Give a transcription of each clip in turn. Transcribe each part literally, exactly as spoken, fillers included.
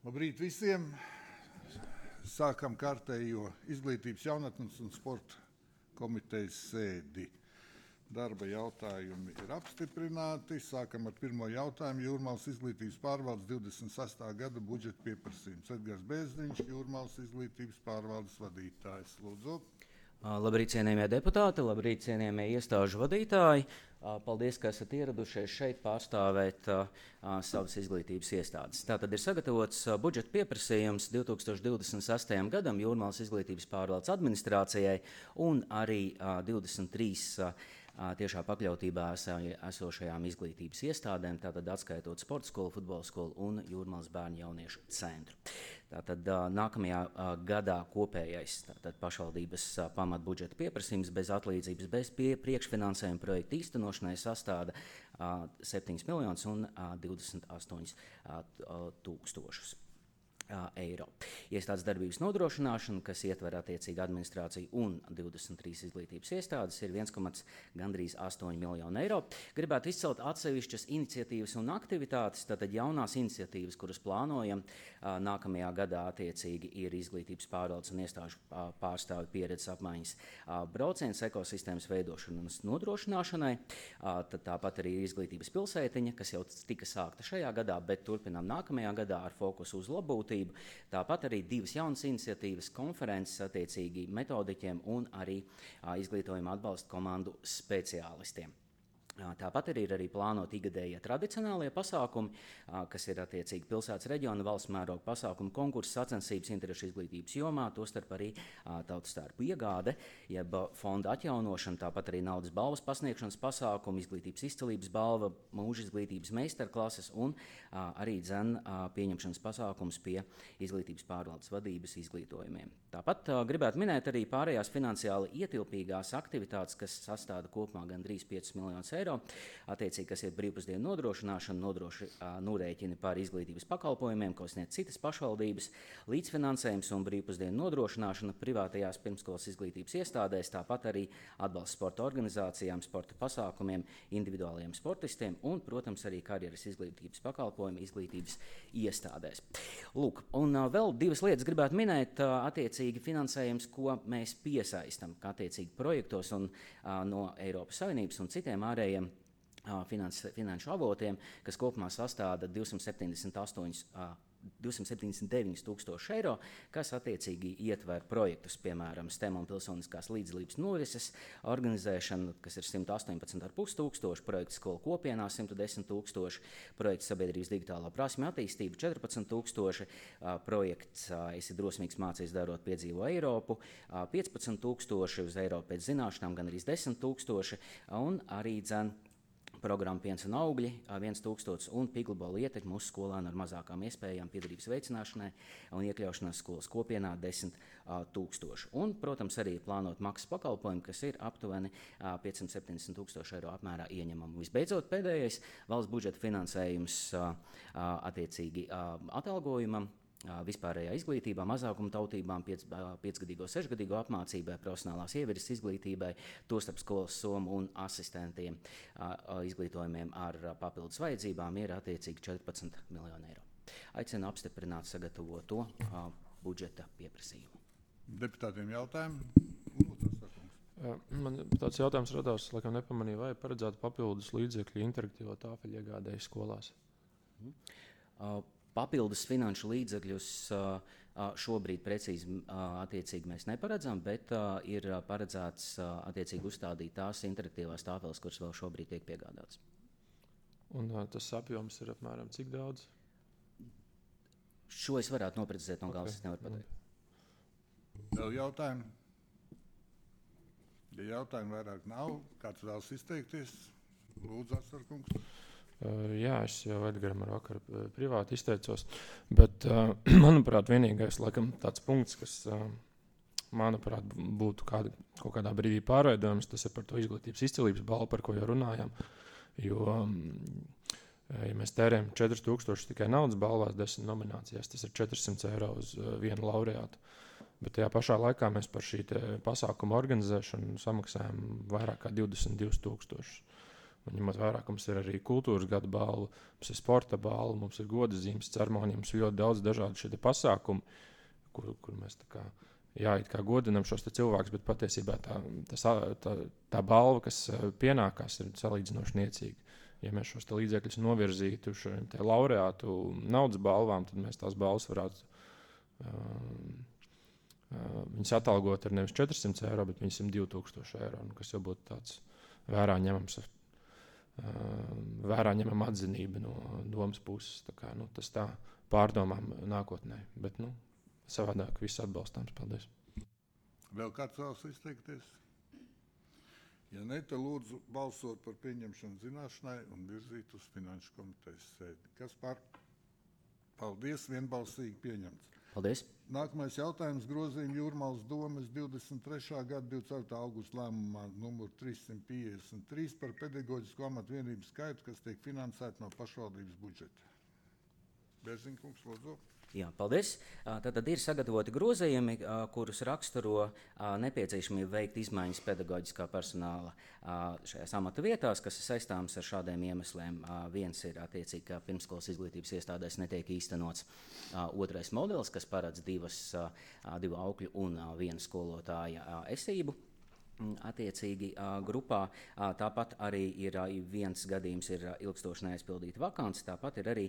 Labrīt visiem! Sākam kārtējo izglītības, jaunatnes un sporta komitejas sēdi. Darba jautājumi ir apstiprināti. Sākam ar pirmo jautājumu. Jūrmālas izglītības pārvaldes divdesmit sestā gada budžeta pieprasījums. Edgars Bēzdiņš, Jūrmālas izglītības pārvaldes vadītājs. Lūdzu. Labrīt, cienījamie deputāti, labrīt, cienījamie iestāžu vadītāji. Paldies, ka esat ieradušies šeit pārstāvēt uh, savas izglītības iestādes. Tātad ir sagatavots uh, budžeta pieprasījums divtūkstoš divdesmit sestajam gadam Jūrmālas izglītības pārvaldes administrācijai un arī uh, divdesmit trīs uh, tiešā pakļautībā esošajām izglītības iestādēm, tātad atskaitot sporta skolu, futbola skolu un Jūrmālas bērnu jauniešu centru. Tātad nākamajā gadā kopējais tātad pašvaldības pamatbudžeta pieprasījums bez atlīdzības, bez pie, priekšfinansējuma projekta īstenošanai sastāda septiņus miljonus un divdesmit astoņus tūkstošus eiro. Iestādes darbības nodrošināšana, kas ietver attiecīgi administrāciju un divdesmit trīs izglītības iestādes, ir viens komats gandrīz astoņi miljoni eiro. Gribētu izcelt atsevišķas iniciatīvas un aktivitātes, tātad jaunās iniciatīvas, kuras plānojam nākamajā gadā attiecīgi ir izglītības pārvaldes un iestāžu pārstāvi pieredzes apmaiņas brauciens ekosistēmas veidošanas nodrošināšanai. Tad tāpat arī izglītības pilsētiņa, kas jau tika sākta šajā gadā, bet turpinām nākamajā gadā ar fokusu uz labbūtību. Tāpat arī divas jaunas iniciatīvas, konferences attiecīgi metodiķiem un arī a, izglītojuma atbalsta komandu speciālistiem. Tāpat arī ir arī plānot ikgadējie tradicionālie pasākumi, kas ir attiecīgi pilsētas reģiona valsts mēroga pasākumu konkursu sacensības interešu izglītības jomā, tostarp arī tautastērpu iegāde, jeb fonda atjaunošana, tāpat arī naudas balvas pasniegšanas pasākumi, izglītības izcelības balva, mūža izglītības meistarklases un arī dzen pieņemšanas pasākums pie izglītības pārvaldes vadības izglītojumiem. Tāpat gribētu minēt arī pārējās finansiāli ietilpīgās aktivitātes, kas sastāda kopumā gandrīz piecus miljonus eiro. Attiecīgi, kas ir brīvpusdienu nodrošināšana, nodroši norēķini par izglītības pakalpojumiem, ko sniedz citas pašvaldības, līdzfinansējums un brīvpusdienu nodrošināšana privātajās pirmskolas izglītības iestādēs, tāpat arī atbalsts sporta organizācijām, sporta pasākumiem, individuāliem sportistiem un, protams, arī karjeras izglītības pakalpojumi izglītības iestādēs. Lūk, un uh, vēl divas lietas gribētu minēt, uh, attiecīgi finansējums, ko mēs piesaistam, attiecīgi projektos un uh, no Eiropas Savienības un citiem ārējiem Finans, finanšu avotiem, kas kopumā sastāda divsimt septiņdesmit astoņus, divsimt septiņdesmit deviņus tūkstošus eiro, kas attiecīgi ietver projektus, piemēram, STEM un pilsoniskās līdzdalības norises organizēšana, kas ir simt astoņpadsmit ar pus tūkstoši, projekts skolu kopienā simt desmit tūkstoši, projekts sabiedrības digitālā prasme attīstība četrpadsmit tūkstoši, projekts Esi drosmīgs mācies darot piedzīvo Eiropu, piecpadsmit tūkstoši, uz Eiropu pēc zināšanām gan arī desmit tūkstoši, un arī dzen programma Piens un augļi, viens tūkstots un piglabola ietekme uz skolēnu ar mazākām iespējām piedarības veicināšanai un iekļaušanās skolas kopienā desmit tūkstoši. Un, protams, arī plānot maksas pakalpojumu, kas ir aptuveni piecsimt septiņdesmit tūkstoši eiro apmērā ieņemama. Visbeidzot, pēdējais valsts budžeta finansējums attiecīgi atalgojumam, vispārējā izglītībā, mazākuma tautībām, piec, piecgadīgo, sešgadīgo apmācībai, profesionālās ievirzes izglītībai, tostarp skolas somu un asistentiem izglītojumiem ar papildus vajadzībām ir attiecīgi četrpadsmit miljoni eiro. Aicinu apstiprināt sagatavoto budžeta pieprasījumu. Deputātiem jautājumi? Man tāds jautājums radās, laikam nepamanīju, vai paredzētu papildus līdzekļu interaktīvo tāfelļu iegādēji skolās? Mm. Uh, Papildus finanšu līdzekļus šobrīd precīzi attiecīgi mēs neparedzam, bet ir paredzēts attiecīgi uzstādīt tās interaktīvās tāfeles, kuras vēl šobrīd tiek piegādātas. Un tas apjoms ir apmēram cik daudz? Šo es varētu noprecizēt no galvas, okay. Es nevaru pateikt. Vēl jautājumi? Ja jautājumi vairāk nav, kāds vēlas izteikties? Lūdzu, Asarkungs. Uh, jā, es jau Edgaram ar vakaru privāti izteicos, bet, uh, manuprāt, vienīgais laikam tāds punkts, kas, uh, manuprāt, būtu kāda, kaut kādā brīdī pārveidojums, tas ir par to izglītības izcilības balvu, par ko jau runājām, jo, um, ja mēs tērējam četri tūkstoši tikai naudas balvās, desmit nominācijās, tas ir četrsimt eiro uz uh, vienu laureātu, bet tajā pašā laikā mēs par šī pasākuma organizēšanu samaksājam vairāk kā divdesmit divus tūkstošus. Un ņemot vērā, ka mums ir arī kultūras gada balva, mums ir sporta balva, mums ir goda zīmes ceremonija, mums ir ļoti daudz dažādu šie pasākumu, kur, kur mēs tā kā, jā, it kā godinam šos cilvēkus, bet patiesībā tā, tas, tā, tā balva, kas pienākās, ir salīdzinoši niecīga. Ja mēs šos līdzekļus novirzītu uz šiem laureātu naudas balvām, tad mēs tās balvas varētu um, uh, viņas atalgot ar nevis četri simti eiro, bet viņas divi tūkstoši eiro, kas jau būtu tāds vērā ņemams. Vērā ņemam atzinību no domas puses. Tā kā, nu, tas tā pārdomām nākotnē. Bet nu, savādāk viss atbalstāms. Paldies. Vēl kāds vēlas izteikties? Ja ne, tad lūdzu balsot par pieņemšanu zināšanai un virzīt uz Finanšu komitejas sēdi. Kas par? Paldies, vienbalsīgi pieņemts. Paldies. Nākamais jautājums grozījuma Jūrmalas domes divdesmit trešā gada divdesmit ceturtā augusta lēmumā numur trīs simt piecdesmit trīs par pedagoģisko amatu vienību skaitu, kas tiek finansēta no pašvaldības budžeta. Bērziņkungs, lūdzu. Jā, paldies. Tātad ir sagatavoti grozījumi, kurus raksturo nepieciešamību veikt izmaiņas pedagoģiskā personāla šajās amata vietās, kas ir saistāmas ar šādiem iemesliem. Viens ir attiecīgi, ka pirmskolas izglītības iestādēs netiek īstenots otrais modelis, kas paredz divas, divu aukļu un vienu skolotāja esību. Attiecīgi grupā. Tāpat arī ir viens gadījums, ir ilgstoši neaizpildīta vakants. Tāpat ir arī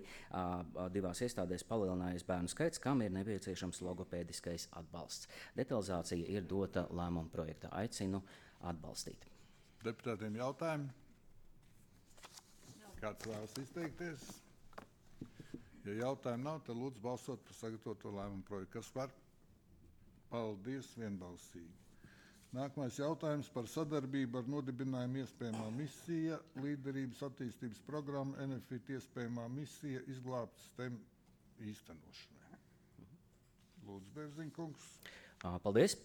divās iestādēs palielinājies bērnu skaits, kam ir nepieciešams logopēdiskais atbalsts. Detalizācija ir dota lēmuma projektā. Aicinu atbalstīt. Deputātiem jautājumi? Kāds vēlas izteikties? Ja jautājumu nav, tad lūdzu balsot par sagatavoto lēmumu projektu. Kas par? Paldies, vienbalsīgi. Nākamais jautājums par sadarbību ar nodibinājumu iespējamā misija, līderības attīstības programma, N F I T iespējamā misija, izglābt STEM īstenošanai. Lūdzu, Bērziņkungs. Paldies.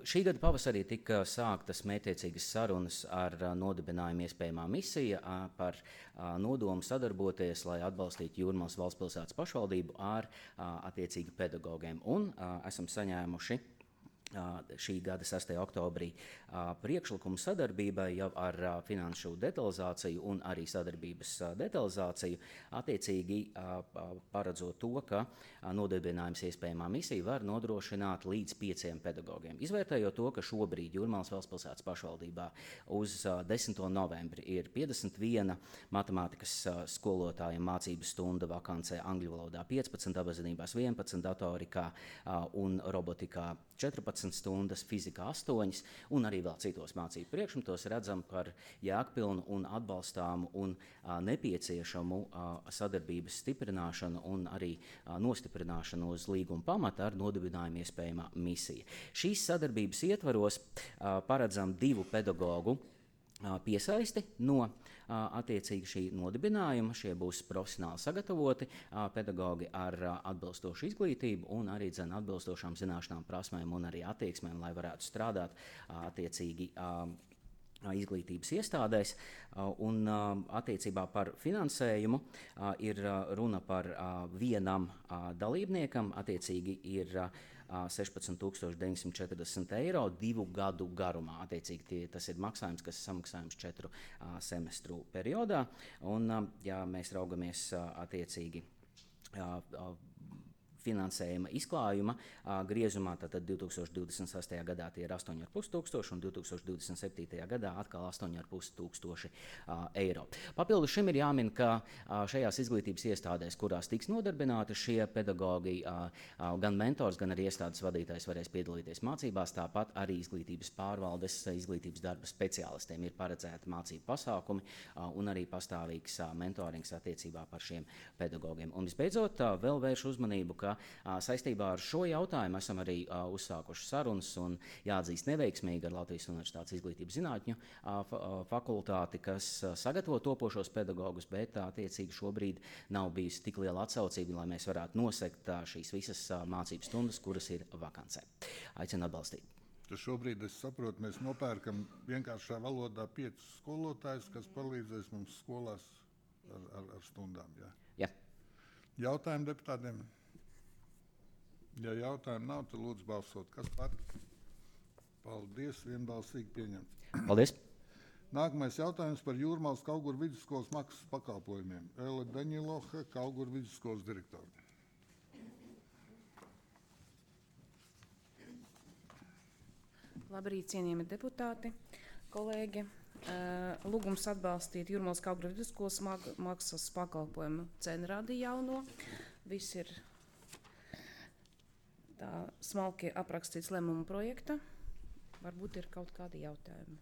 Šī gada pavasarī tika sāktas mērķtiecīgas sarunas ar nodibinājumu iespējamā misija par nodomu sadarboties, lai atbalstītu Jūrmalas valstspilsētas pašvaldību ar attiecīgi pedagogiem. Un esam saņēmuši šī gada sastajā oktobrī priekšlikumu sadarbībai jau ar finanšu detalizāciju un arī sadarbības detalizāciju, attiecīgi paredzot to, ka nodibinājums iespējamā misija var nodrošināt līdz pieciem pedagogiem. Izvērtējot to, ka šobrīd Jūrmalas valstspilsētas pašvaldībā uz desmito novembri ir piecdesmit viena matemātikas skolotāja mācību stunda vakancē angļu valodā piecpadsmit, dabazinībās vienpadsmit, datorikā un robotikā četrpadsmit stundas, fizikā astoņas, un arī vēl citos mācību priekšmetos redzam par jēgpilnu un atbalstāmu un a, nepieciešamu a, sadarbības stiprināšanu un arī a, nostiprināšanu uz līguma pamata ar nodibinājumu iespējamā misija. Šīs sadarbības ietvaros a, paredzam divu pedagogu piesaisti no attiecīgi šī nodibinājuma. Šie būs profesionāli sagatavoti pedagogi ar atbilstošu izglītību un arī dzen atbilstošām zināšanām, prasmēm un arī attieksmēm, lai varētu strādāt attiecīgi izglītības iestādēs. Un attiecībā par finansējumu ir runa par vienam dalībniekam, attiecīgi ir sešpadsmit tūkstoši deviņsimt četrdesmit eiro divu gadu garumā. Attiecīgi tie, tas ir maksājums, kas ir samaksājums četru uh, semestru periodā. Un, uh, ja mēs raugamies uh, attiecīgi uh, uh, finansējuma izklājuma uh, griezumā, tad divi tūkstoši divdesmit sastajā gadā tie ir astoņi ar pus tūkstoši un divi tūkstoši divdesmit septītajā gadā atkal astoņi ar pus tūkstoši uh, eiro. Papildus šim ir jāmin, ka uh, šajās izglītības iestādēs, kurās tiks nodarbināti šie pedagogi, uh, uh, gan mentors, gan arī iestādes vadītājs varēs piedalīties mācībās, tāpat arī izglītības pārvaldes, izglītības darba speciālistiem ir paredzēti mācību pasākumi uh, un arī pastāvīgs uh, mentorings attiecībā par šiem pedagogiem. Un visbeidzot, uh, vēl vēršu uzmanību, ka saistībā ar šo jautājumu esam arī uh, uzsākuši sarunas un jāatzīst neveiksmīgi ar Latvijas Universitātes izglītības zinātņu uh, fakultāti, kas uh, sagatavo topošos pedagogus, bet uh, attiecīgi šobrīd nav bijusi tik liela atsaucība, lai mēs varētu nosekt uh, šīs visas uh, mācību stundas, kuras ir vakancē. Aicinu atbalstīt. Tas šobrīd, es saprotu, mēs nopērkam vienkāršā valodā piecus skolotājus, kas palīdzēs mums skolās ar, ar, ar stundām. Jā. Jā. Jautājumi deputātiem? Ja jautājumu nav, tad lūdzu balsot. Kas par? Paldies, vienbalsīgi pieņemts. Paldies. Nākamais jautājums par Jūrmālas Kauguru vidusskolas maksas pakalpojumiem. Ele Daņiloha, Kauguru vidusskolas direktora. Labrīt, cienījami deputāti, kolēģi. Lūgums atbalstīt Jūrmālas Kauguru vidusskolas maksas pakalpojumu cenu rādi jauno. Viss ir tā smalki aprakstīts lēmuma projekta. Varbūt ir kaut kādi jautājumi.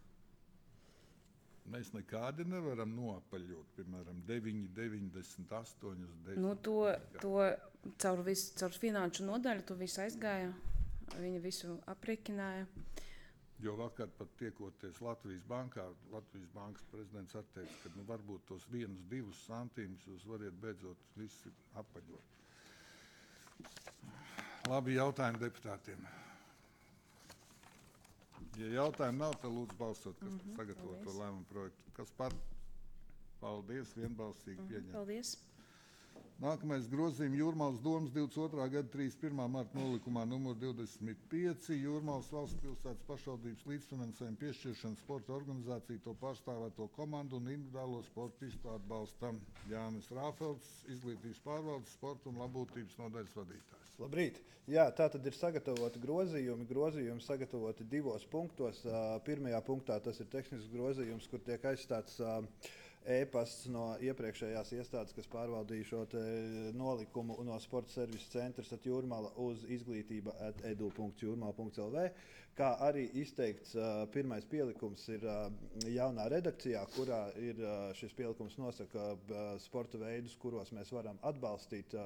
Mēs nekādi nevaram noapaļot, piemēram, deviņi, deviņdesmit astoņi, desmit. Nu, to, to caur, visu, caur finanšu nodaļu to visu aizgāja. Viņi visu aprēķināja. Jo vakar pat tiekoties Latvijas bankā, Latvijas bankas prezidents atteica, ka nu, varbūt tos vienus, divus santīmus jūs variet beidzot visi apaļot. Labi jautājumi deputātiem. Ja jautājumu nav, tad lūdzu balsot, kas mm-hmm, sagatavo to lēmumu projektu. Kas par? Paldies, vienbalsīgi mm-hmm, pieņem. Paldies. Nākamais grozījums Jūrmālas domas divdesmit otrā gada trīsdesmit pirmā marta nolikumā numur divdesmit pieci. Jūrmālas valsts pilsētas pašvaldības līdzfinansējuma piešķiršana sporta organizāciju to pārstāvēto komandu un individuālo sportistu atbalstam. Jānis Rāfelds, izglītības pārvaldes, sporta un labklājības nodaļas vadītājs. Labrīt! Jā, tā tad ir sagatavoti grozījumi. Grozījumi sagatavoti divos punktos. Pirmajā punktā tas ir tehnisks grozījums, kur tiek aizstāts e-pasts no iepriekšējās iestādes, kas pārvaldīja šo nolikumu no sporta servisa centrs at Jūrmala uz izglītība at edu punkts jūrmala punkts lv. Kā arī izteikts pirmais pielikums ir jaunā redakcijā, kurā ir šis pielikums nosaka sporta veidus, kuros mēs varam atbalstīt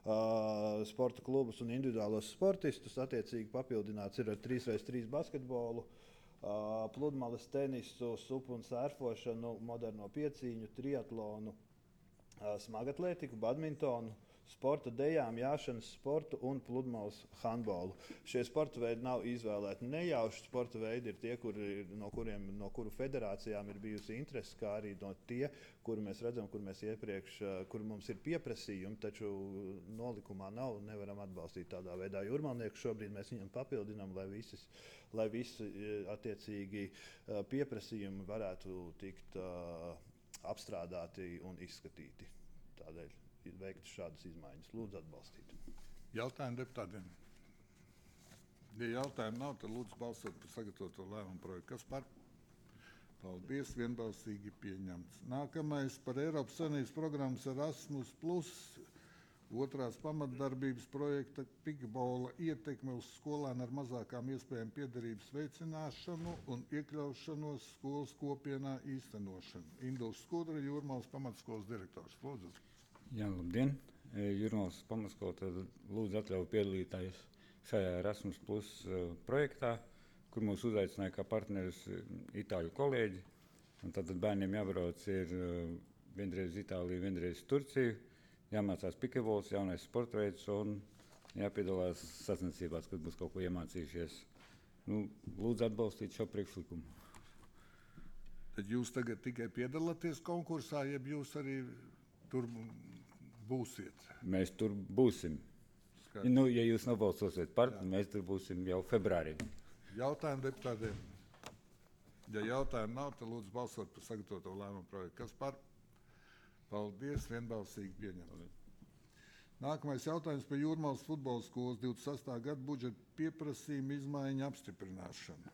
Uh, sporta klubus un individuālos sportistus. Attiecīgi papildināts ir ar trīs pret trīs basketbolu, uh, pludmales tenisu, supu un sērfošanu, moderno piecīņu, triatlonu, uh, smagatlētiku, badmintonu, sporta dejām, jāšanas sportu un pludmales handbolu. Šie sporta veidi nav izvēlēti nejauši. Sporta veidi ir tie, kuri, no, kuriem, no kuru federācijām ir bijusi interese, kā arī no tie, kuru mēs redzam, kur mēs iepriekš, kur mums ir pieprasījumi, taču nolikumā nav, nevaram atbalstīt tādā veidā. Jūrmalnieku šobrīd mēs viņam papildinām, lai, visas, lai visi attiecīgi pieprasījumi varētu tikt uh, apstrādāti un izskatīti. Tādēļ ir veikts šādas izmaiņas. Lūdzu atbalstīt. Jautājumu deputātiem. Ja jautājumu nav, tad lūdzu balsot par sagatavoto lēmumu projektu. Kas par? Paldies, vienbalsīgi pieņemts. Nākamais par Eiropas Savienības programmas Erasmus plus otrās pamatdarbības projekta pikbola ietekme uz skolēnu ar mazākām iespējām piederības veicināšanu un iekļaušanos skolas kopienā īstenošanu. Induls Skudra, Jūrmālas pamatskolas direktors. Lūdzu. Jā, labdien! Jūrmālas pamatskola tad lūdzu atļauju piedalīties šajā Erasmus plus projektā, kur mūs uzaicināja kā partneris itāļu kolēģi. Un tad bērniem jābrauc ir vienreiz Itāliju, vienreiz Turciju, jāmācās pikebols, jaunais sporta veids un jāpiedalās sacensībās, kad būs kaut ko iemācījušies. Nu, lūdzu atbalstīt šo priekšlikumu. Tad jūs tagad tikai piedalāties konkursā, jeb jūs arī tur būsiet? Mēs tur būsim. Skaidrs. Nu, ja jūs nobalsosiet par, tad mēs tur būsim jau februārī. Jautājumu deputātiem. Ja jautājumu nav, tad lūdzu balsot par sagatavoto lēmumu projektu. Kas par? Paldies, vienbalsīgi pieņemt. Nākamais jautājums par Jūrmālas futbola skolas divdesmit sestā gada budžeta pieprasījuma izmaiņu apstiprināšanu.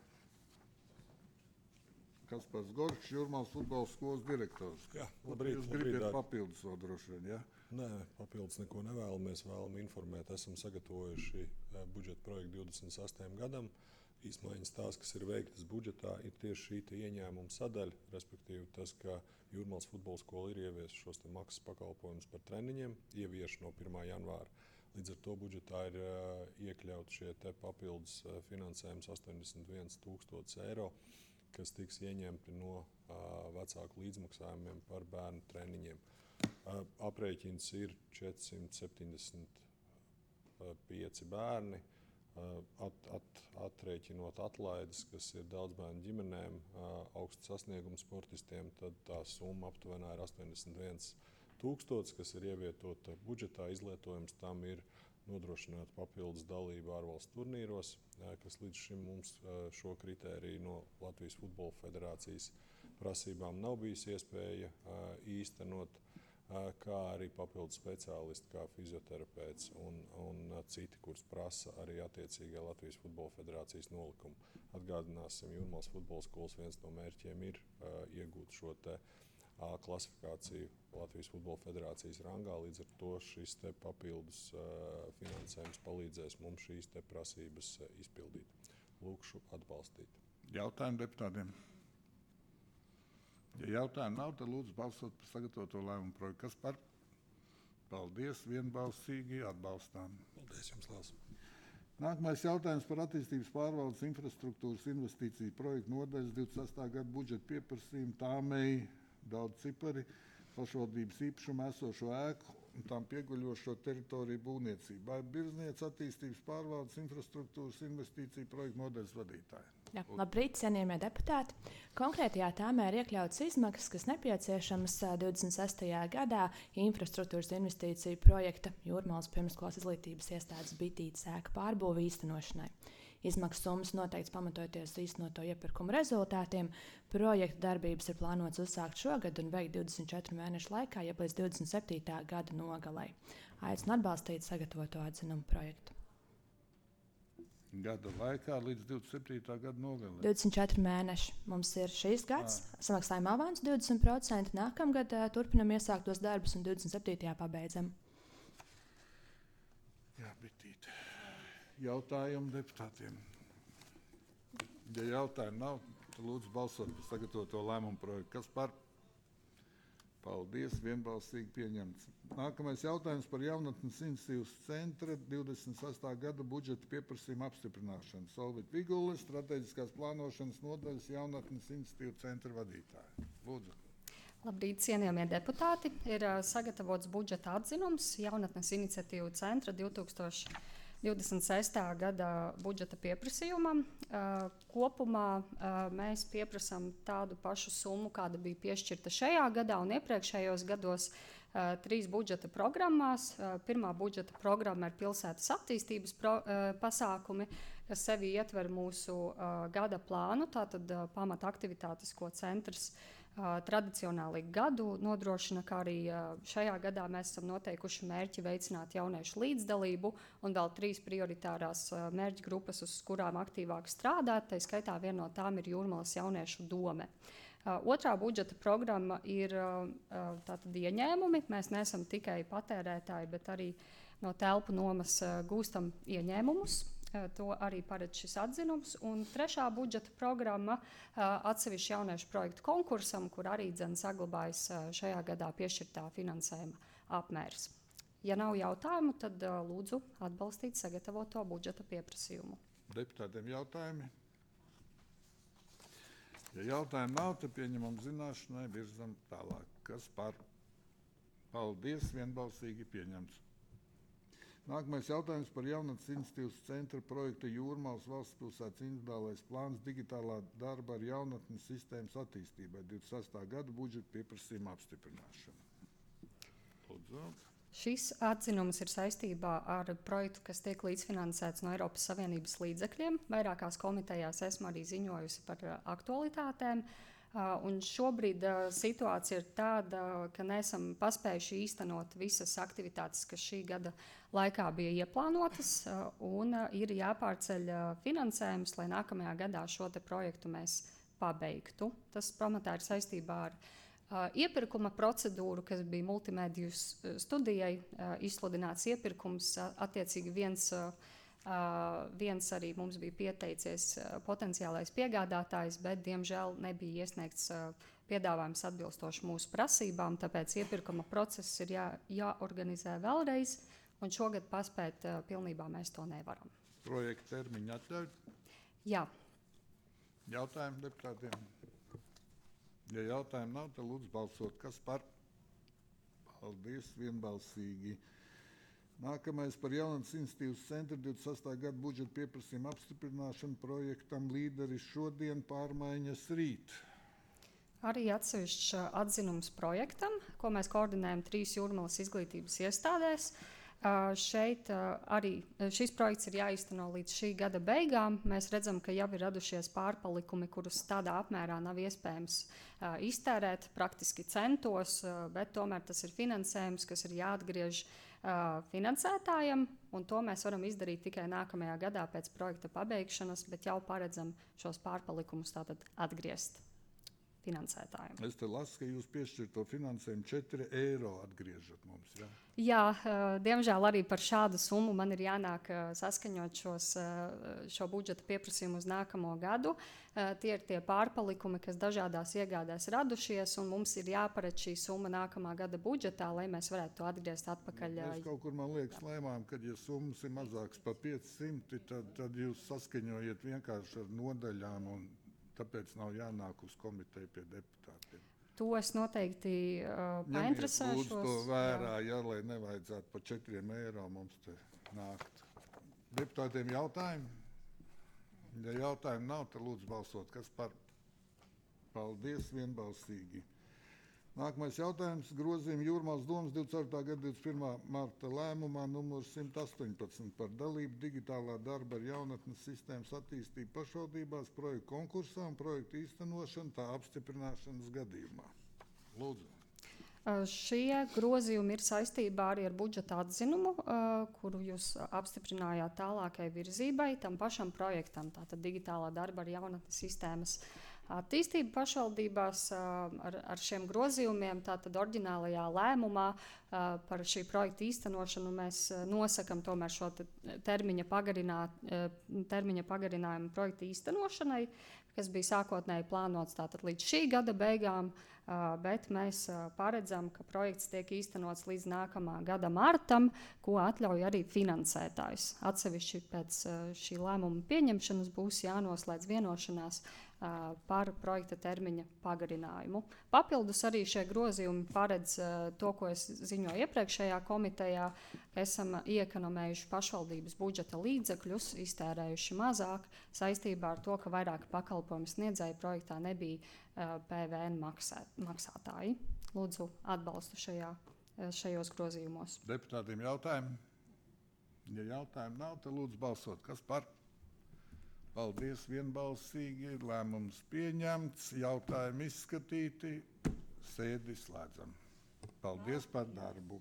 Kaspars Gorčs, Jūrmālas futbola skolas direktors. Jā, labrīt. Jūs gribat papildus vēl droši vien, jā? Nē, papildus neko nevēlamies. Vēlam informēt, esam sagatavojuši budžeta projektu divdesmit sestajam gadam. Izmaiņas tās, kas ir veiktas budžetā, ir tieši šī ieņēmuma sadaļa, respektīvi tas, ka Jūrmālas futbola skola ir ievies šos te maksas pakalpojumus par treniņiem, ievieš no pirmā janvāra. Līdz ar to budžetā ir uh, iekļaut šie te papildus uh, finansējums astoņdesmit viens tūkstotis eiro, kas tiks ieņemti no uh, vecāku līdzmaksājumiem par bērnu treniņiem. Uh, aprēķins ir četrsimt septiņdesmit pieci bērni, uh, at, at, atrēķinot atlaides, kas ir daudz bērnu ģimenēm, uh, augstu sasniegumu sportistiem, tad tā summa aptuvenā ir astoņdesmit viens tūkstotis, kas ir ievietota budžetā. Izlietojums tam ir nodrošināt papildus dalību ārvalstu turnīros, kas līdz šim mums šo kritēriju no Latvijas futbola federācijas prasībām nav bijis iespēja īstenot, kā arī papildus speciālisti, kā fizioterapeits un, un citi, kurus prasa arī attiecīgā Latvijas Futbola Federācijas nolikumu. Atgādināsim, Jūrmālas futbola skolas viens no mērķiem ir uh, iegūt šo te A klasifikāciju Latvijas Futbola Federācijas rangā, līdz ar to šis te papildus uh, finansējums palīdzēs mums šīs te prasības uh, izpildīt. Lūkšu atbalstīt. Jautājumu deputātiem? Ja jautājumu nav, tad lūdzu balsot par sagatavoto lēmumu projektu. Kas par? Paldies, vienbalsīgi atbalstām. Paldies jums, Lās. Nākamais jautājums par attīstības pārvaldes infrastruktūras investīciju projektu nodaļas divdesmit sestā gada budžeta pieprasījumu tāmēji daudz cipari pašvaldības īpašumā esošo ēku un tām pieguļošo teritoriju būvniecībai. Birzniec attīstības pārvaldes infrastruktūras investīciju projektu nodaļas vadītāja. Jā, labrīt, cienījamie deputāti. Konkrētajā tāmē ir iekļautas izmaksas, kas nepieciešamas divdesmit sestajā gadā infrastruktūras investīciju projekta Jūrmālas pirmsskolas izglītības iestādes Bitītes ēka pārbūve īstenošanai. Izmaksu summas noteikts pamatojoties īstenoto iepirkumu rezultātiem. Projekta darbības ir plānots uzsākt šogad un veikt divdesmit četru mēnešu laikā, jeb līdz divdesmit septītā gada nogalei. Aicinu atbalstīt sagatavoto atzinumu projektu. Gada laikā līdz divdesmit septītā gada nogalē. divdesmit četri mēneši. Mums ir šīs gads, samaksājam avansu divdesmit procenti, nākamgad uh, turpinam iesāktos darbus un divdesmit septītajā pabeidzam. Jā, Bitīt. Jautājumu deputātiem. Ja jautājumu nav, tad lūdzu balsot par sagatavoto lēmumu projektu. Kas par? Paldies, vienbalsīgi pieņemts. Nākamais jautājums par jaunatnes iniciatīvas centra divdesmit sestā gada budžeta pieprasījuma apstiprināšanu. Solvita Vigule, strateģiskās plānošanas nodaļas jaunatnes iniciatīvu centra vadītāja. Lūdzu. Labrīt, cienījamie deputāti. Ir uh, sagatavots budžeta atzinums jaunatnes iniciatīvu centra divdesmit sestā gada budžeta pieprasījumam. Uh, kopumā uh, mēs pieprasām tādu pašu summu, kāda bija piešķirta šajā gadā un iepriekšējos gados uh, trīs budžeta programmās. Uh, pirmā budžeta programma ir pilsētas attīstības pro, uh, pasākumi, kas sevi ietver mūsu uh, gada plānu, tātad uh, pamata aktivitātes, ko centrs Uh, tradicionāli gadu nodrošina, kā arī uh, šajā gadā mēs esam noteikuši mērķi veicināt jauniešu līdzdalību un vēl trīs prioritārās uh, mērķu grupas, uz kurām aktīvāk strādāt. Tā skaitā viena no tām ir Jūrmalas jauniešu dome. Uh, otrā budžeta programma ir uh, tātad ieņēmumi. Mēs neesam tikai patērētāji, bet arī no telpu nomas uh, gūstam ieņēmumus. To arī paredz šis atzinums. Un trešā budžeta programma uh, atsevišķi jauniešu projektu konkursam, kur arī dzen saglabājas uh, šajā gadā piešķirtā finansējuma apmērs. Ja nav jautājumu, tad uh, lūdzu atbalstīt sagatavoto budžeta pieprasījumu. Deputātiem jautājumi? Ja jautājumu nav, tad pieņemam zināšanai, virzam tālāk. Kas par? Paldies, vienbalsīgi pieņemts. Nākamais jautājums par jaunatnes iniciatīvas centra projekta Jūrmālas valsts pilsētas individuālais plāns digitālā darba ar jaunatnes sistēmas attīstībai divdesmit sestā gada budžeta pieprasījuma apstiprināšanu. Lūdzu. Šis atzinums ir saistībā ar projektu, kas tiek līdzfinansēts no Eiropas Savienības līdzekļiem. Vairākās komitejās esmu arī ziņojusi par aktualitātēm. Uh, un šobrīd uh, situācija ir tāda, ka neesam paspējuši īstenot visas aktivitātes, kas šī gada laikā bija ieplānotas, uh, un uh, ir jāpārceļ uh, finansējums, lai nākamajā gadā šo te projektu mēs pabeigtu. Tas pamatā ir saistībā ar uh, iepirkuma procedūru, kas bija multimediju studijai, uh, izsludināts iepirkums, uh, attiecīgi viens uh, Uh, viens arī mums bija pieteicies uh, potenciālais piegādātājs, bet, diemžēl, nebija iesniegts uh, piedāvājums atbilstoši mūsu prasībām, tāpēc iepirkuma process ir jā, jāorganizē vēlreiz, un šogad paspēt uh, pilnībā mēs to nevaram. Projekta termiņu atļauj? Jā. Jautājumu deputātiem? Ja jautājumu nav, tad lūdzu balsot. Kas par? Paldies, vienbalsīgi. Nākamais par jaunatnes iniciatīvas centra divdesmit sestā gada budžeta pieprasījuma apstiprināšanu projektam Līderis šodien, pārmaiņas rīt. Arī atsevišķs atzinums projektam, ko mēs koordinējam trīs Jūrmalas izglītības iestādēs. Uh, šeit uh, arī šis projekts ir jāīsteno līdz šī gada beigām. Mēs redzam, ka jau ir radušies pārpalikumi, kurus tādā apmērā nav iespējams uh, iztērēt praktiski centos, uh, bet tomēr tas ir finansējums, kas ir jāatgriež uh, finansētājiem, un to mēs varam izdarīt tikai nākamajā gadā pēc projekta pabeigšanas, bet jau paredzam šos pārpalikumus tātad atgriezt finansētājiem. Es te lasu, ka jūs piešķirto finansējumu četri eiro atgriežat mums. Jā, Jā uh, diemžēl arī par šādu summu man ir jānāk uh, saskaņot šos, uh, šo budžeta pieprasījumu uz nākamo gadu. Uh, tie ir tie pārpalikumi, kas dažādās iegādēs radušies, un mums ir jāparedz šī summa nākamā gada budžetā, lai mēs varētu to atgriezt atpakaļ. Uh, Mēs kaut kur, man liekas, lēmām, ka, ja summas ir mazākas par piecsimt, tad, tad jūs saskaņojiet vienkārši ar nodaļām, un tāpēc nav jānāk uz komiteju pie deputātiem. To es noteikti uh, Ņemiet painteresēšos. lūdzu to vērā, jā, lai nevajadzētu par četriem eiro mums te nākt. Deputātiem jautājumi? Ja jautājumu nav, tad lūdzu balsot. Kas par? Paldies, vienbalsīgi. Nākamais jautājums - grozījumi Jūrmālas domas divdesmit ceturtā gada divdesmit pirmā marta lēmumā numur simt astoņpadsmit par dalību digitālā darba ar jaunatnes sistēmas attīstību pašvaldībās, projektu konkursā un projektu īstenošanu tā apstiprināšanas gadījumā. Lūdzu. Uh, šie grozījumi ir saistībā arī ar budžeta atzinumu, uh, kuru jūs apstiprinājāt tālākai virzībai tam pašam projektam, tātad digitālā darba ar jaunatnes sistēmas attīstību pašvaldībās. Ar, ar šiem grozījumiem, tātad oriģinālajā lēmumā par šī projekta īstenošanu mēs nosakam tomēr šo te termiņa, termiņa pagarinājumu projekta īstenošanai, kas bija sākotnēji plānots tātad līdz šī gada beigām, bet mēs paredzam, ka projekts tiek īstenots līdz nākamā gada martam, ko atļauj arī finansētājs. Atsevišķi pēc šī lēmuma pieņemšanas būs jānoslēdz vienošanās par projekta termiņa pagarinājumu. Papildus arī šie grozījumi paredz to, ko es ziņoju iepriekšējā komitejā, ka esam iekonomējuši pašvaldības budžeta līdzekļus, iztērējuši mazāk saistībā ar to, ka vairāk pakalpojumu sniedzēju projektā nebija P V N maksā, maksātāji. Lūdzu atbalstu šajā, šajos grozījumos. Deputātiem jautājumi? Ja jautājumu nav, tad lūdzu balsot. Kas par? Paldies, vienbalsīgi. Lēmums pieņemts, jautājumi izskatīti, sēdi slēdzam. Paldies par darbu.